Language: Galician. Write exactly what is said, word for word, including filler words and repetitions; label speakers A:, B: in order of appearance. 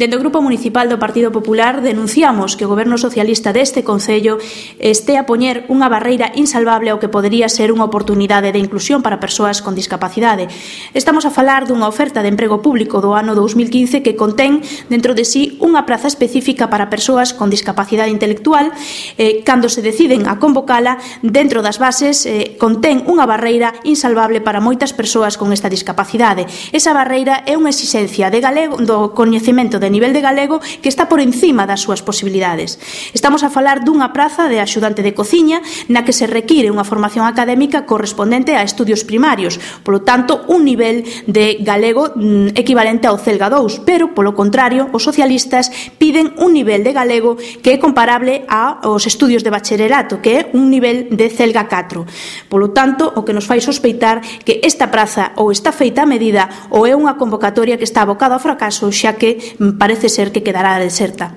A: Dende o Grupo Municipal do Partido Popular denunciamos que o Goberno Socialista deste Concello este a poñer unha barreira insalvable ao que podería ser unha oportunidade de inclusión para persoas con discapacidade. Estamos a falar dunha oferta de emprego público do ano dous mil quince que contén dentro de sí unha praza específica para persoas con discapacidade intelectual. Eh, cando se deciden a convocala, dentro das bases eh, contén unha barreira insalvable para moitas persoas con esta discapacidade. Esa barreira é unha exixencia de galego, do coñecemento de nivel de galego que está por encima das súas posibilidades. Estamos a falar dunha praza de axudante de cociña na que se require unha formación académica correspondente a estudios primarios, polo tanto, un nivel de galego mm, equivalente ao Celga dous, pero, polo contrario, os socialistas piden un nivel de galego que é comparable aos estudios de bacharelato, que é un nivel de Celga catro. Polo tanto, o que nos fai sospeitar que esta praza ou está feita a medida ou é unha convocatoria que está abocada ao fracaso, xa que parece ser que quedará deserta.